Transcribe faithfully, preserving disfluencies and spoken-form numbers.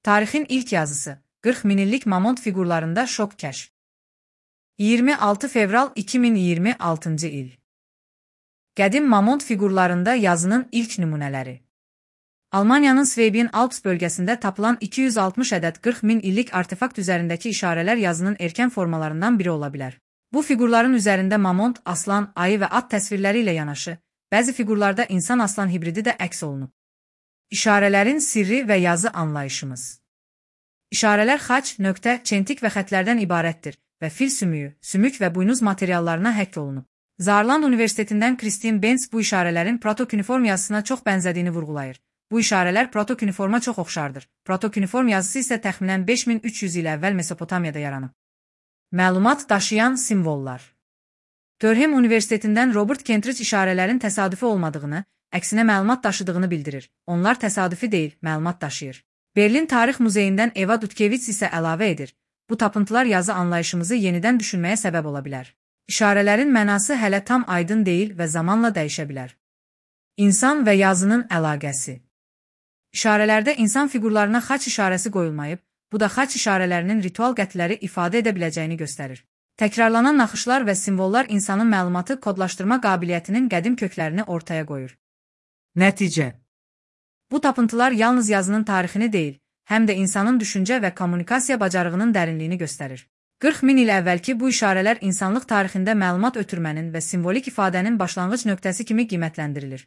Tarixin ilk yazısı, qırx min illik mamont fiqurlarında şok kəşf. iyirmi altı fevral iki min iyirmi altıncı il. Qədim mamont fiqurlarında yazının ilk nümunələri. Almaniyanın Svebin Alps bölgəsində tapılan iki yüz altmış ədəd qırx min illik artefakt üzərindəki işarələr yazının erkən formalarından biri ola bilər. Bu fiqurların üzərində mamont, aslan, ayı və at təsvirləri ilə yanaşı, bəzi fiqurlarda insan-aslan hibridi də əks olunub. İşarələrin sirri və yazı anlayışımız. İşarələr xaç, nöqtə, çentik və xətlərdən ibarətdir və fil sümüyü, sümük və buynuz materiallarına həkk olunub. Saarland Universitetindən Kristin Benz bu işarələrin protokuniform yazısına çox bənzədiyini vurğulayır. Bu işarələr protokuniforma çox oxşardır. Protokuniform yazısı isə təxminən beş min üç yüz il əvvəl Mesopotamiyada yaranıb. Məlumat daşıyan simvollar. Durham Universitetindən Robert Kentridge işarələrin təsadüfi olmadığını, əksinə məlumat daşıdığını bildirir. Onlar təsadüfi deyil, məlumat daşıyır. Berlin Tarix Muzeyindən Eva Dudkevits isə əlavə edir. Bu tapıntılar yazı anlayışımızı yenidən düşünməyə səbəb ola bilər. İşarələrin mənası hələ tam aydın deyil və zamanla dəyişə bilər. İnsan və yazının əlaqəsi. İşarələrdə insan fiqurlarına xaç işarəsi qoyulmayıb, bu da xaç işarələrinin ritual qətləri ifadə edə biləcəyini göstərir. Təkrarlanan naxışlar və simvollar insanın məlumatı kodlaşdırma qabiliyyətinin qədim köklərini ortaya qoyur. Nəticə. Bu tapıntılar yalnız yazının tarixini deyil, həm də insanın düşüncə və kommunikasiya bacarığının dərinliyini göstərir. qırx min il əvvəlki bu işarələr insanlıq tarixində məlumat ötürmənin və simvolik ifadənin başlanğıc nöqtəsi kimi qiymətləndirilir.